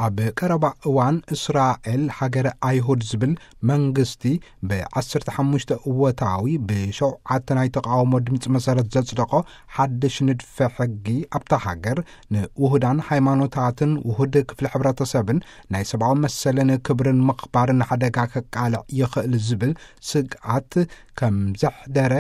ኣብ ቀረባ እዋን እስራኤል ሃገረ ኣይሁድ ዝብል መንግስቲ ብ15 እወታዊ ብ7 ናይ ተቃውሞ ድምፂ መሰረት ዘጽደቆ ሓድሽ ንድፈ ሕጊ ኣብታ ሃገር ንውሁዳን ሃይማኖታትን ውሁድ ክፍሊ ሕብረተሰብን ናይ ሰብኣዊ መሰልን ክብርን ምኽባርን ሓደጋ ከቃልዕ ይኽእል ዝብል ስግኣት ከም ዘሕደረ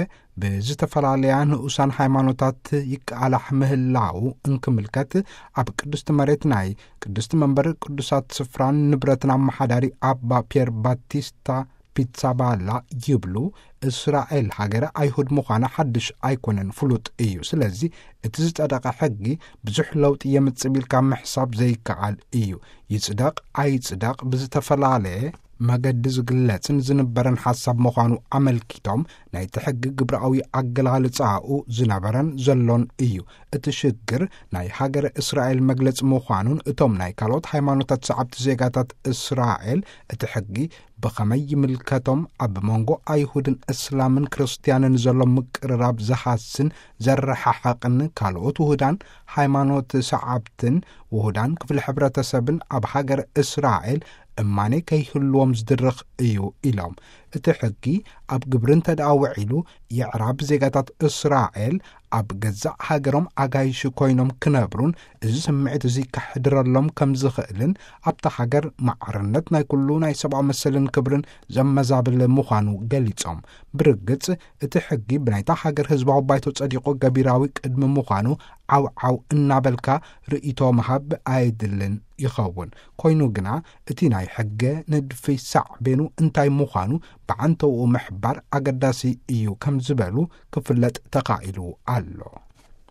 ብዝተፈላለያ ንኡሳን ሃይማኖታት ይቃላሕ ምህላው እንክምልከት ኣብ ቅድስቲ መሬት ናይ ቅድስቲ መንበር ቅዱሳት ስፍራን ንብረትን ኣመሓዳሪ ኣባ ፒየር ባቲስታ ፒትሳባላ ይብሉ። እስራኤል ሃገረ ኣይሁድ ምዃና ሓድሽ ኣይኮነን፣ ፍሉጥ እዩ። ስለዚ እቲ ዝጸደቐ ሕጊ ብዙሕ ለውጢ የምጽእ ኢልካ ምሕሳብ ዘይከኣል እዩ። ይጽደቕ ኣይጽደቕ ብዝተፈላለየ መገዲ ዝግለጽን ዝንበረን ሓሳብ ምዃኑ ኣመልኪቶም፣ ናይቲ ሕጊ ግብራዊ ኣገላልጻኡ ዝነበረን ዘሎን እዩ። እቲ ሽግር ናይ ሃገረ እስራኤል መግለጺ ምዃኑን እቶም ናይ ካልኦት ሃይማኖታት ሰዓብቲ ዜጋታት እስራኤል እቲ ሕጊ ብኸመይ ይምልከቶም፣ ኣብ መንጎ ኣይሁድን እስላምን ክርስትያንን ዘሎ ምቅርራብ ዝሃስን ዘረሓሕቕን ካልኦት ውሁዳን ሃይማኖት ሰዓብትን ውሁዳን ክፍሊ ሕብረተሰብን ኣብ ሃገር እስራኤል እማኔ ከይህልዎም ዝድርኽ እዩ ኢሎም። እቲ ሕጊ ኣብ ግብሪ እንተ ደኣ ውዒሉ የዕራብ ዜጋታት እስራኤል ኣብ ገዛእ ሃገሮም ኣጋይሽ ኮይኖም ክነብሩን እዚ ስምዒት እዚ ከሕድረሎም ከም ዝኽእልን ኣብታ ሃገር ማዕርነት ናይ ኩሉ ናይ ሰብኣዊ መሰልን ክብርን ዘመዛብል ምዃኑ ገሊጾም። ብርግጽ እቲ ሕጊ ብናይታ ሃገር ህዝባዊ ባይቶ ጸዲቑ ገቢራዊ ቅድሚ ምዃኑ ዓው ዓው እናበልካ ርእይቶ ምሃብ ኣየድልን ይኸውን። ኮይኑ ግና እቲ ናይ ሕገ ንድፊ ሳዕቤኑ እንታይ ምዃኑ ብዓንተውኡ ምሕባር ኣገዳሲ እዩ ከም ዝበሉ ክፍለጥ ተኻኢሉ ኣሎ።